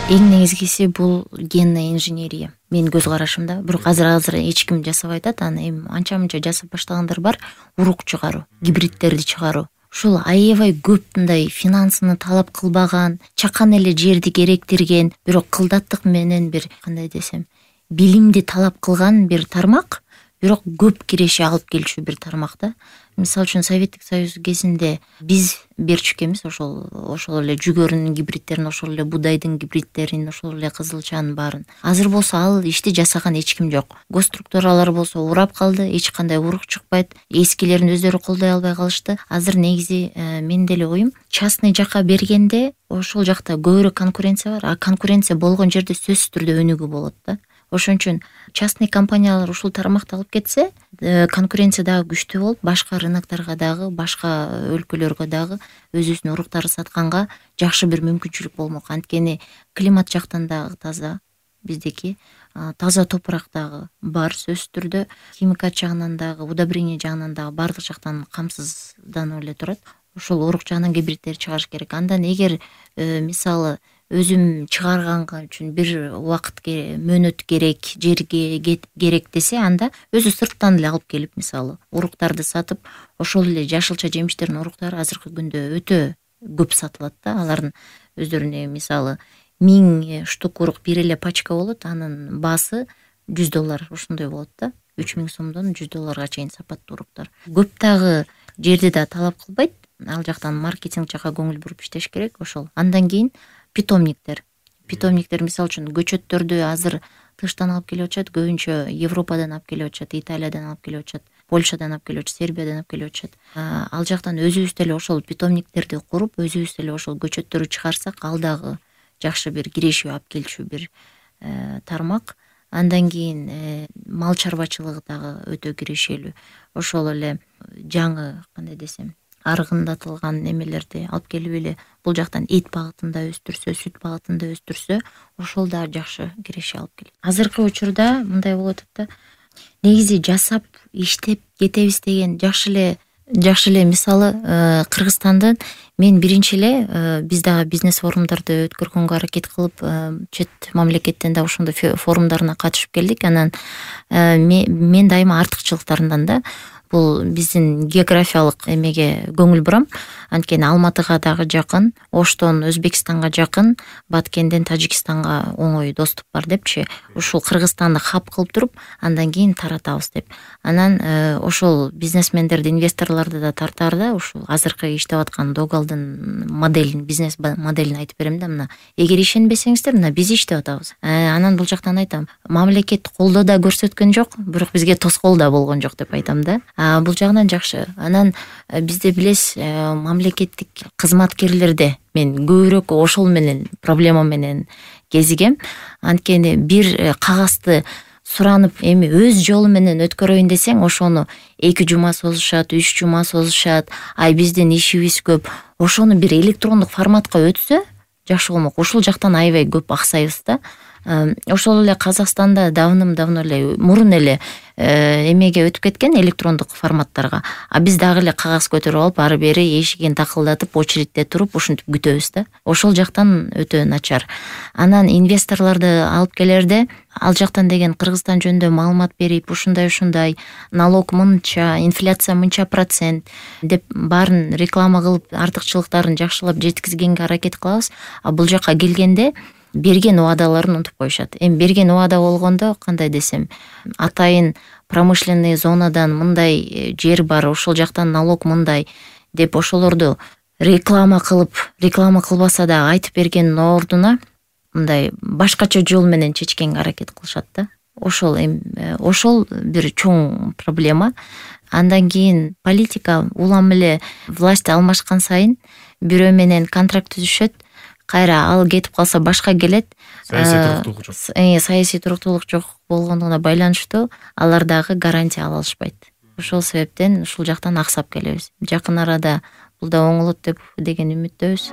Эң негизгиси бул генный инженерия. Менин көз карашымда. Бирок азыр эч ким жасабай атат. Аны эми анча-мынча жасап баштагандар бар. Урук чыгаруу, гибридтерди чыгаруу. Ушул аябай көп мындай финансыны талап кылбаган, чакан эле жерди керектирген, бирок кылдаттык менен бир кандай десем, билимди талап кылган бир тармак, бирок көп киреше алып келчү бир тармак да. Мисалы үчүн Советтик Союз кезинде биз берчү экенбиз ошол эле жүгөрүнүн гибридтерин, ошол эле будайдын гибридтерин, ошол эле кызылчанын баарын. Азыр болсо ал ишти жасаган эч ким жок. Госструктуралар болсо урап калды, эч кандай урук чыкпайт. Эскилерин өздөрү колдой албай калышты. Азыр негизи менин деле оюм, частный жакка бергенде ошол жакта көбүрөөк конкуренция бар, а конкуренция болгон жерде сөзсүз түрдө өнүгүү болот да. Ошон үчүн частный компаниялар ушул тармакты алып кетсе, конкуренция дагы күчтүү болуп, башка рынокторго дагы, башка өлкөлөргө дагы өзүбүздүн уруктарды сатканга жакшы бир мүмкүнчүлүк болмок. Анткени климат жактан дагы таза биздики, таза топурак дагы бар сөзсүз түрдө, химикат жагынан дагы, удобрение жагынан дагы баардык жактан камсызданып эле турат. Ошол урук жагынан гибридтер чыгарыш керек. Андан эгер мисалы өзүм чыгарганга үчүн бир убакыт мөөнөт керек, жерге керек десе, анда өзү сырттан эле алып келип, мисалы уруктарды сатып, ошол эле жашылча жемиштердин уруктары азыркы күндө өтө көп сатылат да. Алардын өздөрүнө мисалы 1000 штук урук бир эле пачка болот, анын баасы $100 ошондой болот да. 3000 сомдон $100 чейин сапаттуу уруктар. Көп дагы жерди да талап кылбайт. Ал жактан маркетинг жакка көңүл буруп иштеш керек. Ошол. Андан кийин питомниктер мисалы үчүн көчөттөрдү азыр тыштан алып келип атышат, көбүнчө Европадан алып келип атышат, Италиядан алып келип атышат, Польшадан алып келип атышат, Сербиядан алып келип атышат. Ал жактан өзүбүз деле ошол питомниктерди куруп, өзүбүз деле ошол көчөттөрдү чыгарсак, ал дагы жакшы бир кирешүү алып келчү бир тармак. Андан кийин мал чарбачылыгы дагы өтө кирешелүү. Ошол эле жаңы кандай десем, аргындатылган немелерди алып келип эле бул жактан эт багытында өстүрсө, сүт багытында өстүрсө, ошол да жакшы киреше алып келет. Азыркы учурда мындай болуп атат да. Негизи жасап, иштеп кетебиз деген жакшы эле мисалы Кыргызстандын мен биринчи эле биз дагы бизнес форумдарды өткөргөнгө аракет кылып, чет мамлекеттен да ошондой форумдарына катышып келдик. Анан мен дайыма артыкчылыктарынан да бул биздин географиялык эмеге көңүл бурам. Анткени Алматыга дагы жакын, Оштон Өзбекстанга жакын, Баткенден Тажикстанга оңой доступ бар депчи. Ушул Кыргызстанды хаб кылып туруп, андан кийин таратабыз деп. Анан ошол бизнесмендерди, инвесторлорду да тартаарда, ушул азыркы иштеп аткан Догалдын моделин, бизнес моделин айтып берем да. Мына, эгер ишенбесеңиздер, мына биз иштеп атабыз. Анан бул жактан айтам, мамлекет колдоо да көрсөткөн жок, бирок бизге тоскоол да болгон жок деп айтам да. Бул жагынан жакшы. Анан бизде билесиз, мамлекеттик кызматкерлерде мен көбүрөөк ошол менен проблема менен кезигем. Анткени бир кагазды суранып, эми өз жолу менен өткөрөйүн десең, ошону 2 жума созушат, 3 жума созушат. Биздин ишибиз көп. Ошону бир электрондук форматка өтсө жакшы болмок. Ушул жактан аябай көп аксайбыз да. Ошол эле Казакстанда давным-давно эле мурун эле эмеге өтүп кеткен, электрондук форматтарга. Биз дагы эле кагаз көтөрүп алып, ары бери эшигин такылдатып, очередте туруп, ушинтип күтөбүз да. Ошол жактан өтө начар. Анан инвесторлорду алып келерде, ал жактан деген Кыргызстан жөнүндө маалымат берип, ушундай налог мынча, инфляция мынча процент деп баарын реклама кылып, артыкчылыктарын жакшылап жеткизгенге аракет кылабыз. Бул жакка келгенде берген убадаларын унутуп коюшат. Эми берген убада болгондо кандай десем, атайын промышленный зонадан мындай жер бар, ошол жактан налог мындай деп ошолорду реклама кылбаса да айтып бергендин ордуна мындай башкача жол менен чечкенге аракет кылышат да. Ошол бир чоң проблема. Андан кийин политика улам эле власть алмашкан сайын бирөө менен контракт түзүшөт. Кайра ал кетип калса башка келет. Саясий туруктуулук жок болгондугуна байланыштуу алар дагы гарантия ала алышпайт. Ошол себептен ушул жактан аксап келебиз. Жакын арада бул да оңолот деген үмүттөбүз.